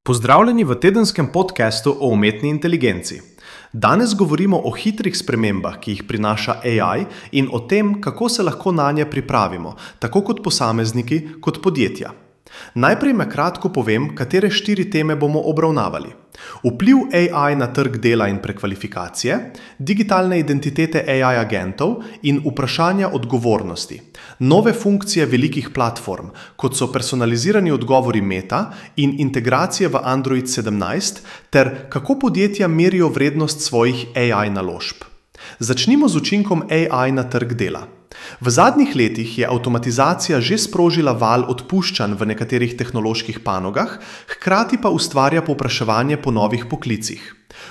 Pozdravljeni v tedenskem podcastu o umetni inteligenci. Danes govorimo o hitrih spremembah, ki jih prinaša AI in o tem, kako se lahko nanje pripravimo, tako kot posamezniki, kot podjetja. Najprej na kratko povem, katere 4 teme bomo obravnavali. Vpliv AI na trg dela in prekvalifikacije, digitalne identitete AI agentov in vprašanja odgovornosti, nove funkcije velikih platform, kot so personalizirani odgovori Meta in integracije v Android 17, ter kako podjetja merijo vrednost svojih AI naložb. Začnimo z učinkom AI na trg dela. V zadnjih letih je avtomatizacija že sprožila val odpuščanj v nekaterih tehnoloških panogah, hkrati pa ustvarja povpraševanje po novih poklicih.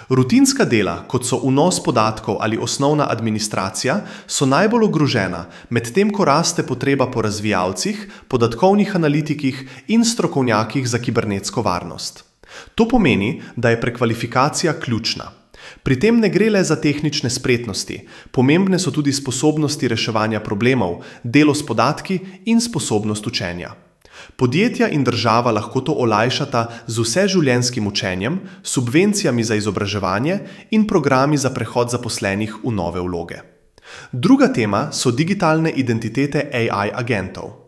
Rutinska dela, kot so vnos podatkov ali osnovna administracija, so najbolj ogrožena, medtem ko raste potreba po razvijalcih, podatkovnih analitikih in strokovnjakih za kibernetsko varnost. To pomeni, da je prekvalifikacija ključna. Pri tem ne gre le za tehnične spretnosti, pomembne so tudi sposobnosti reševanja problemov, delo s podatki in sposobnost učenja. Podjetja in država lahko to olajšata z vseživljenjskim učenjem, subvencijami za izobraževanje in programi za prehod zaposlenih v nove vloge. Druga tema so digitalne identitete AI agentov.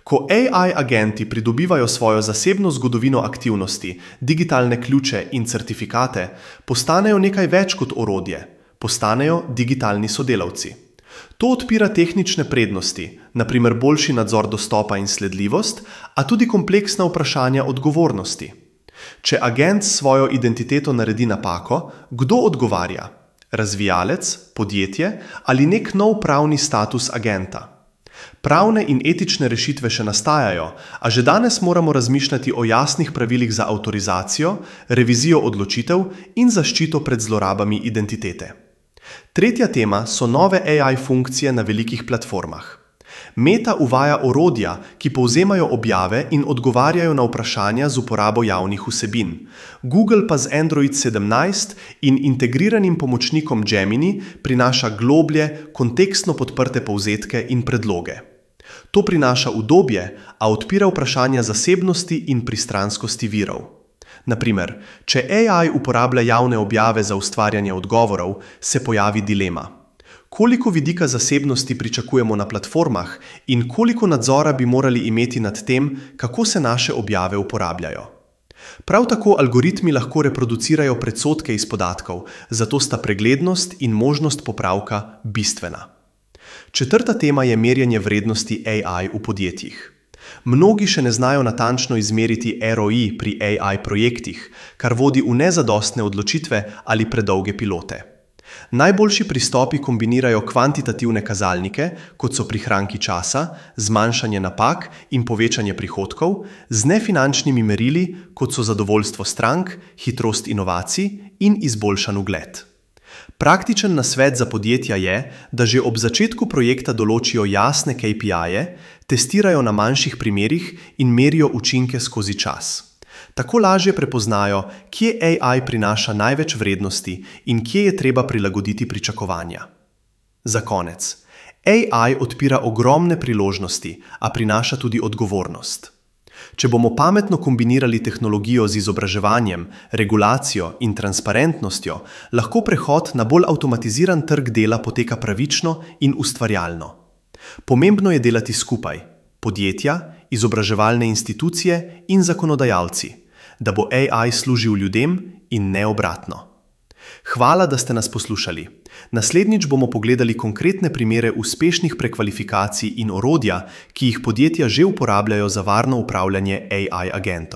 Ko AI agenti pridobivajo svojo zasebno zgodovino aktivnosti, digitalne ključe in certifikate, postanejo nekaj več kot orodje, postanejo digitalni sodelavci. To odpira tehnične prednosti, na primer boljši nadzor dostopa in sledljivost, a tudi kompleksna vprašanja odgovornosti. Če agent s svojo identiteto naredi napako, kdo odgovarja? Razvijalec, podjetje ali nek nov pravni status agenta? Pravne in etične rešitve še nastajajo, a že danes moramo razmišljati o jasnih pravilih za avtorizacijo, revizijo odločitev in zaščito pred zlorabami identitete. Tretja tema so nove AI funkcije na velikih platformah. Meta uvaja orodja, ki povzemajo objave in odgovarjajo na vprašanja z uporabo javnih vsebin. Google pa z Android 17 in integriranim pomočnikom Gemini prinaša globlje, kontekstno podprte povzetke in predloge. To prinaša udobje, a odpira vprašanja zasebnosti in pristranskosti virov. Na primer, če AI uporablja javne objave za ustvarjanje odgovorov, se pojavi dilema. Koliko vidika zasebnosti pričakujemo na platformah in koliko nadzora bi morali imeti nad tem, kako se naše objave uporabljajo. Prav tako algoritmi lahko reproducirajo predsodke iz podatkov, zato sta preglednost in možnost popravka bistvena. Četrta tema je merjenje vrednosti AI v podjetjih. Mnogi še ne znajo natančno izmeriti ROI pri AI projektih, kar vodi v nezadostne odločitve ali predolge pilote. Najboljši pristopi kombinirajo kvantitativne kazalnike, kot so prihranki časa, zmanjšanje napak in povečanje prihodkov, z nefinančnimi merili, kot so zadovoljstvo strank, hitrost inovacij in izboljšan ugled. Praktičen nasvet za podjetja je, da že ob začetku projekta določijo jasne KPI-je, testirajo na manjših primerih in merijo učinke skozi čas. Tako lažje prepoznajo, kje AI prinaša največ vrednosti in kje je treba prilagoditi pričakovanja. Za konec. AI odpira ogromne priložnosti, a prinaša tudi odgovornost. Če bomo pametno kombinirali tehnologijo z izobraževanjem, regulacijo in transparentnostjo, lahko prehod na bolj avtomatiziran trg dela poteka pravično in ustvarjalno. Pomembno je delati skupaj, podjetja, izobraževalne institucije in zakonodajalci, da bo AI služil ljudem in ne obratno. Hvala, da ste nas poslušali. Naslednjič bomo pogledali konkretne primere uspešnih prekvalifikacij in orodja, ki jih podjetja že uporabljajo za varno upravljanje AI agentov.